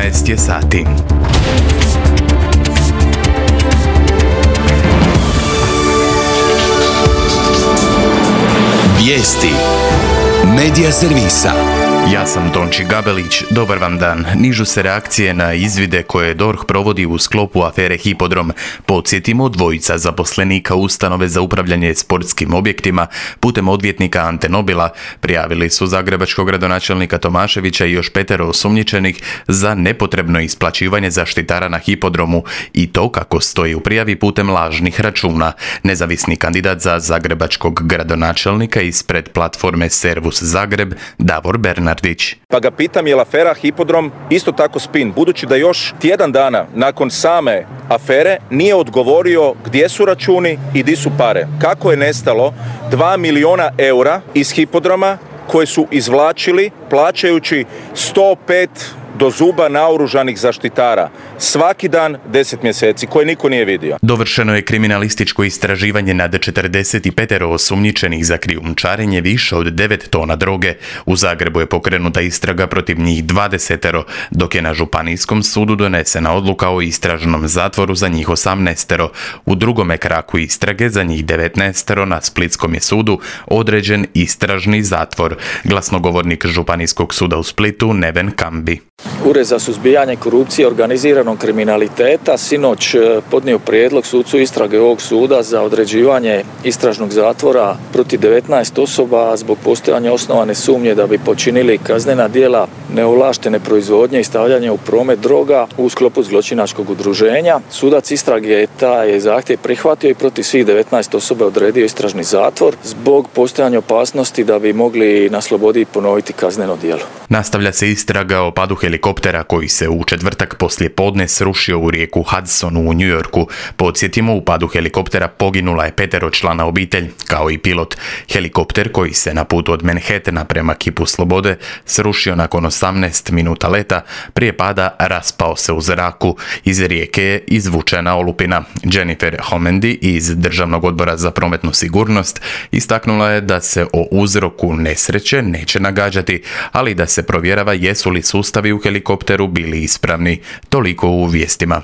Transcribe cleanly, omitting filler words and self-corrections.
14 je sati. Vijesti Medija servisa. Ja sam Tonči Gabelić, dobar vam dan. Nižu se reakcije na izvide koje DORH provodi u sklopu afere Hipodrom. Podsjetimo, dvojica zaposlenika ustanove za upravljanje sportskim objektima putem odvjetnika Ante Nobila prijavili su zagrebačkog gradonačelnika Tomaševića i još 5 osumnjičenih za nepotrebno isplaćivanje zaštitara na Hipodromu i to kako stoji u prijavi putem lažnih računa. Nezavisni kandidat za zagrebačkog gradonačelnika ispred platforme Servus Zagreb, Davor Bernardić. Pa ga pitam je li afera Hipodrom isto tako spin, budući da još tjedan dana nakon same afere nije odgovorio gdje su računi i di su pare. Kako je nestalo 2 milijuna eura iz Hipodroma koje su izvlačili plaćajući 105 do zuba naoružanih zaštitara. Svaki dan 10 mjeseci, koje niko nije vidio. Dovršeno je kriminalističko istraživanje nad 45 osumnjičenih za krijumčarenje više od 9 tona droge. U Zagrebu je pokrenuta istraga protiv njih 20, dok je na Županijskom sudu donesena odluka o istražnom zatvoru za njih 18. U drugome kraku istrage za njih 19 na Splitskom je sudu određen istražni zatvor. Glasnogovornik Županijskog suda u Splitu Neven Kambi. Ured za suzbijanje korupcije i organiziranog kriminaliteta sinoć podnio prijedlog sucu istrage ovog suda za određivanje istražnog zatvora protiv 19 osoba zbog postojanja osnovane sumnje da bi počinili kaznena djela neovlaštene proizvodnje i stavljanja u promet droga u sklopu zločinačkog udruženja. Sudac istrage taj zahtjev prihvatio i protiv svih 19 osoba odredio istražni zatvor zbog postojanja opasnosti da bi mogli na slobodi ponoviti kazneno djelo. Nastavlja se istraga o padu helikoptera koji se u četvrtak poslije podne srušio u rijeku Hudsonu u New Yorku. Podsjetimo, u padu helikoptera poginula je 5-člana obitelj, kao i pilot. Helikopter koji se na putu od Manhattana prema Kipu Slobode srušio nakon 18 minuta leta, prije pada raspao se u zraku. Iz rijeke je izvučena olupina. Jennifer Homendy iz Državnog odbora za prometnu sigurnost istaknula je da se o uzroku nesreće neće nagađati, ali da se provjerava jesu li sustavi u helikopteru bili ispravni. Toliko u vijestima.